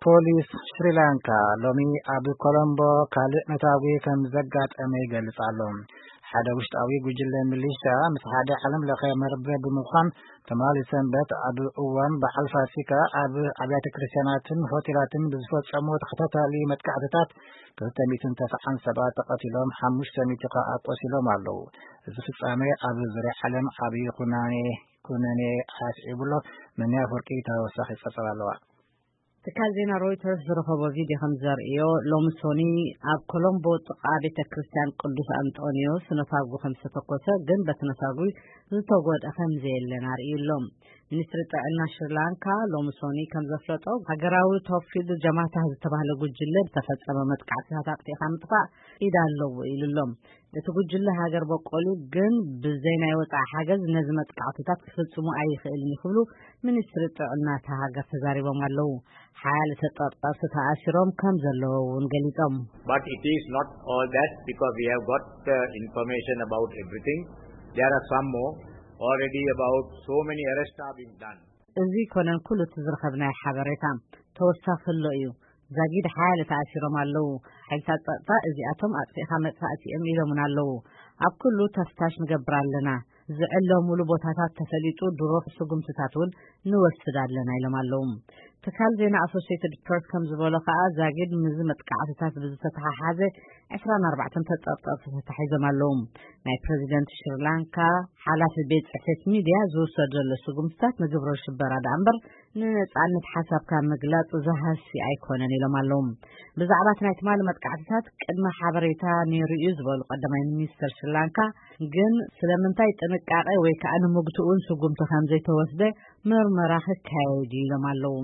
ፖሊስ ሽሪላንካ ሎሚ ኣብ ኮሎምቦ ካልእ ነታጒ ከም ዘጋጠመ ይገልጽ ኣሎ። ሓደ ውሽጣዊ ጉጅለ ሚሊሻ ምስ ሓደ ዓለም ለኸ መርበብ ብምዃን ትማሊ ሰንበት ኣብ እዋን በዓል ፋሲካ ኣብ ኣብያተ ክርስቲያናትን ሆቴላትን ብዝፈጸሙ ተኸታታሊ መጥቃዕትታት ክልተ ሚእትን ተስዓን ሰባት ተቐቲሎም፣ ሓሙሽተ ሚእቲ ከኣ ቆሲሎም ኣለዉ። እዚ ፍጻሜ ኣብ ዙርያ ዓለም ዓብዪ ኩናኔ ኩነኔ ኣስዒቡ ኣሎ። መን ኣፈወርቂ ተወሳኺ ጸብጻብ ኣለዋ። ትካል ዜና ሮይተርስ ዝረኸቦ ቪድዮ ከም ዘርእዮ፣ ሎሚ ሶኒ ኣብ ኮሎምቦ ጥቓ ቤተ ክርስቲያን ቅዱስ ኣንጦንዮስ ነታጉ ከም ዝተተኮሰ፣ ግን በቲ ነታጉ ዝተጎድአ ከም ዘየለን ኣርእዩ ኣሎ። ሚኒስትሪ ጥዕና ሽሪላንካ ሎሚ ሶኒ ከም ዘፍለጦ፣ ሃገራዊ ቶፕፊልድ ጀማታ ዝተባህለ ጉጅለ ዝተፈጸመ መጥቃዕትታት ኣጥፊእካ ምጥፋእ ኢድ ኣለዎ ኢሉ ኣሎ። እቲ ጉጅለ ሃገር በቆል እዩ፣ ግን ብዘይ ናይ ወጻኢ ሓገዝ ነዚ መጥቃዕትታት ክፍጽሙ ኣይኽእልን እዩ ክብሉ ሚኒስትሪ ጥዕና እታ ሃገር ተዛሪቦም ኣለዉ። ሓያለ ተጠርጠርቲ ተኣሲሮም ከም ዘለዉ እውን ገሊጾም። But it is not all that, because we have got uh, information about everything. There are some more, already about so many arrests are being done. እዚ ኮነን ኩሉ እቲ ዝረኸብናዮ ሓበሬታ ተወሳኺ ኣሎ እዩ። ዛጊድ ሓያለ ተኣሲሮም ኣለዉ። ሓይልታት ጸጥታ እዚኣቶም ኣጥፊእኻ መጥፋእቲ እዮም ኢሎምና ኣለዉ። ኣብ ኩሉ ተፍታሽ ንገብር ኣለና። ዝዕለሙሉ ቦታታት ተፈሊጡ ድሮ ስጉምትታት እውን ንወስድ ኣለና ኢሎም ኣለዉ። ትካል ዜና ኣሶሲየትድ ፕረስ ከም ዝበሎ ከኣ፣ ዛጊድ ምስዚ መጥቃዕትታት ብዝተተሓሓዘ ዕስራን ኣርባዕተን ተጠርጠርቲ ተታሒዞም ኣለዉ። ናይ ፕረዚደንት ሽሪላንካ ሓላፊ ቤት ጽሕፈት ሚድያ ዝውሰድ ዘሎ ስጉምትታት ንግብረ ሽበራ ደኣ እምበር ንነጻነት ሓሳብካ ምግላጽ ዝሃሲ ኣይኮነን ኢሎም ኣለዉ። ብዛዕባ እቲ ናይ ትማሊ መጥቃዕትታት ቅድመ ሓበሬታ ነይሩ እዩ ዝበሉ ቀዳማይ ሚኒስተር ሽሪላንካ፣ ግን ስለምንታይ ጥንቃቄ ወይ ከዓ ንምግትኡን ስጉምቲ ከም ዘይተወስደ ምርመራ ክካየድ እዩ ኢሎም ኣለዉ።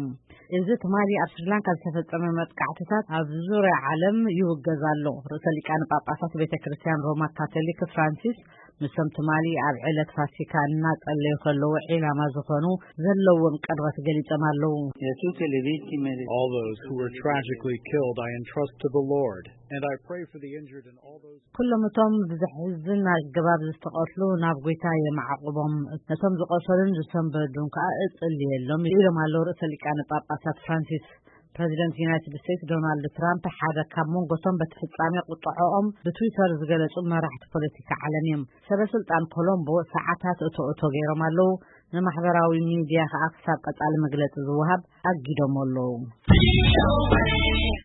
እዚ ትማሊ ኣብ ሽሪላንካ ዝተፈጸመ መጥቃዕትታት ኣብ ዙርያ ዓለም ይውገዝ ኣሎ። ርእሰ ሊቃነ ጳጳሳት ቤተ ክርስቲያን ሮማ ካቶሊክ ፍራንሲስ ምስቶም ትማሊ ኣብ ዕለት ፋሲካ እናጸለዩ ከለዉ ዒላማ ዝኾኑ ዘለዎም ቅርበት ገሊጾም ኣለዉ። E a tutte le vittime del All those who were tragically killed, I entrust to the Lord, and I pray for the injured and all those ኩሎም እቶም ብዘሕዝን ኣገባብ ዝተቐትሉ ናብ ጐይታ የማዕቑቦም፣ ነቶም ዝቖሰሉን ዝሰንበዱን ከኣ እጽልየሎም ኢሎም ኣለዉ ርእሰ ሊቃነ ጳጳሳት ፍራንሲስ። ፕረዚደንት ዩናይትድ ስቴትስ ዶናልድ ትራምፕ ሓደ ካብ መንጎቶም በቲ ፍጻሜ ቁጥዐኦም ብትዊተር ዝገለጹ መራሕቲ ፖለቲካ ዓለም እዮም። ሰበ ስልጣን ኮሎምቦ ሰዓታት እቶ እቶ ገይሮም ኣለዉ። ንማሕበራዊ ሚድያ ከኣ ክሳብ ቀጻሊ መግለጺ ዝወሃብ ኣጊዶም ኣለዉ።